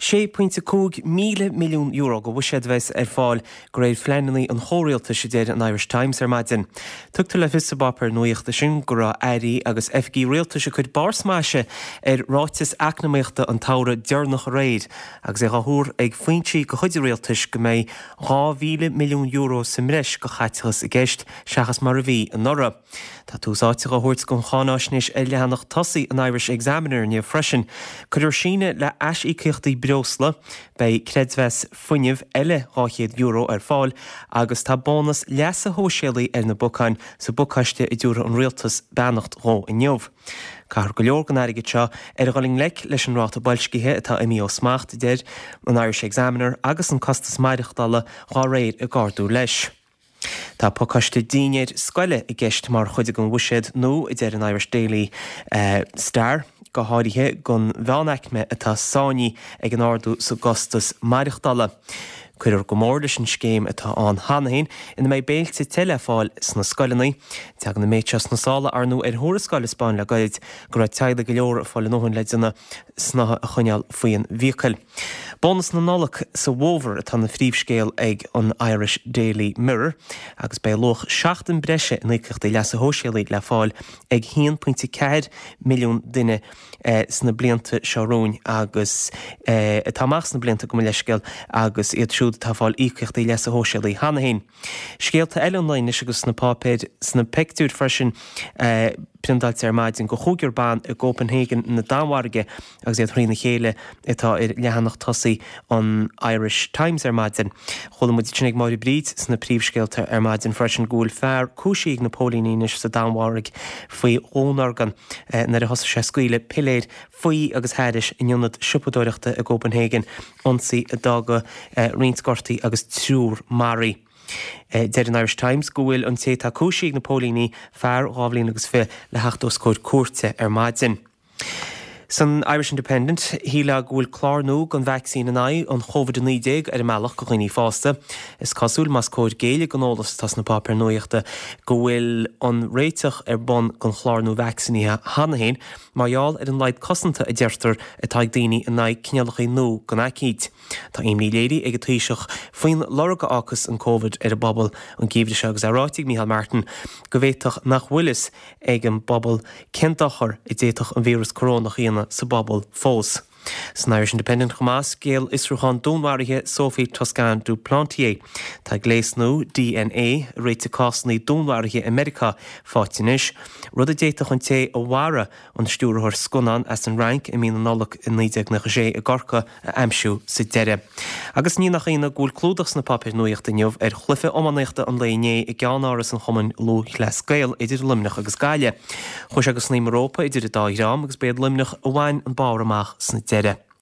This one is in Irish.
€6.5 míle milliún de bhuiséad a bheas ar fáil de réir phleananna an chomhrialtais, a deir an Irish Times ar maidin. Tugtar le fios sa bpáipéar nuachta sin go raibh airí agus oifigigh rialtais ag cur barr smaise ar ráiteas eacnamaíochta an tsamhraidh deireanach aréir agus é á thuar ag foinsí de chuid an rialtais go mbeidh €2,000 milliún sa mbreis de chaiteachas i gceist seachas mar a bhí anuraidh. Tá tús áite á thabhairt don cháináisnéis ar leathanach tosaigh an Irish Examiner inniu freisin. Cuirfear síneadh le aisíocaíochtaí breosla, beidh creidmheas fuinnimh eile €200 ar fáil agus tá bónas leasa shóisialaigh ar na bacáin sa bpacáiste a dtabharfaidh an Rialtas beannacht dhó inniu. Caithfear go leor den airgead seo ar dhul i ngleic leis an ráta boilscithe atá imithe ó smacht, a deir an Irish Examiner, agus an costas maireachtála dhá réir ag ardú leis. Tá pacáiste dinnéir scoile i gceist mar chuid den bhuiséad nua, a deir an Irish Daily Star, go háirithe don mheánaicme atá sáinnithe ag an ardú sa gcostas maireachtála. Cuirfear go mór leis an scéim atá ann cheana féin ina mbeidh béilte te le fáil sna scoileanna. Tagann an méid seo sna sála, ar ndóigh, ar thuarascáil a 'spáin le gairid go raibh teaghlaigh go leor ag fáil a ndóthain le déanamh snáithe a choinneáil faoin bhfiacail. Bónas na Nollag sa bhfómhar atá ina phríomhscéal ag an Irish Daily Mirror agus beidh luach seachtain breise in íocaíochtaí leasa shóisialaigh le fáil ag 1.4 milliún duine sna blianta seo romhainn agus atá amach sna blianta, gabh mo leithscéal, agus iad siúd atá ag fáil íocaíochtaí leasa shóisialaigh cheana féin. Scéalta eile an lae anois agus sna páipéir, sna pictiúir freisin, priontáilte ar maidin de chúigear ban i gCopenhagen na Danmhairge agus iad thrína chéile atá ar leathanach tosaigh an Irish Times ar maidin. Chuala muid ansin ag Máire Bríd sna príomhscéalta ar maidin freisin go bhfuil fear cúisithe ag na póilíní anois sa Danmhairg faoi dhúnorgain nuair a thosaigh sé ag scaoileadh piléir faoi agus thairis in ionad siopadóireachta i gCopenhagen, ionsaí a d'fhága roinnt gortaithe agus triúr maraithe. Deir an Irish Times go bhfuil an té atá cúisithe ag na póilíní, fear 2 bhliain agus 20, le theacht os comhair cúirte ar maidin. San Irish Independent, shílfeá go bhfuil clár nua don vacsaín in aghaidh an Covid-19 ar an mbealach do dhaoine fásta. Is cosúil, más cóir géilleadh don eolas atá sna páipéir nuachta, go bhfuil an réiteach ar bun don chlár nua vacsaínithe cheana féin, Mar gheall ar an laghad cosanta a deirtear atá ag daoine in aghaidh cineálacha nua den aicíd. Tá imní léirithe ag an Taoiseach faoin lorg a fhágfas an Covid ar an bpobal an geimhreadh seo agus é ráite ag Micheál Martin go bhféadfadh nach bhfuil fhios ag an bpobal cén dochar a d'fhéadfadh an víreas corónach a dhéanamh sa bpobal fós. San Irish Independent chomh maith, scéal fhiosrúchán dúnmharaithe Sophie Toscan du Plantier. Tá gléas nua DNA a réitigh cásanna dúnmharaithe i Meiriceá faighte anois, rud a d'fhéadfadh an té a mharaigh an stiúrthóir scannán as an Fhrainc i mí na Nollag i 1996 i gCorcaigh a aimsiú sa deireadh. Agus ní nach ionadh go bhfuil clúdach sna páipéir nuachta inniu ar chluiche iománaíochta an lae inné i gceannáras an Chumainn Lúthchleas Gael idir Luimneach agus Gaillimh. Chuaigh sé go snaidhm an rópa idir an dá dhream agus b'iad Luimneach a bhain an barr amach sna deireadh.